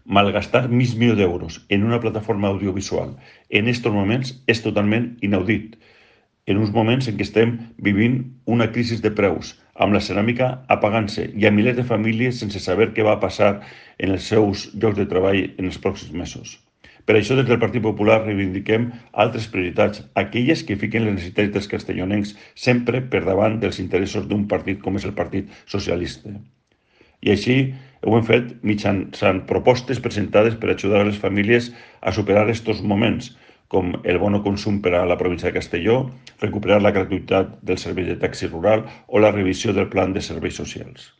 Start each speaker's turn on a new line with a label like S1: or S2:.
S1: Malgastar mig milió d'euros en una plataforma audiovisual en estos moments és totalment inaudit. En uns moments en què estem vivint una crisi de preus, amb la ceràmica apagant-se i a milers de famílies sense saber què va passar en els seus llocs de treball en els pròxims mesos. Per això, des del Partit Popular reivindiquem altres prioritats, aquelles que fiquen les necessitats dels castellonencs sempre per davant dels interessos d'un partit com és el Partit Socialista. I així ho hem fet mitjançant propostes presentades per ajudar a les famílies a superar aquests moments, com el bono consum per a la província de Castelló, recuperar la gratuïtat del servei de taxi rural o la revisió del plan de serveis socials.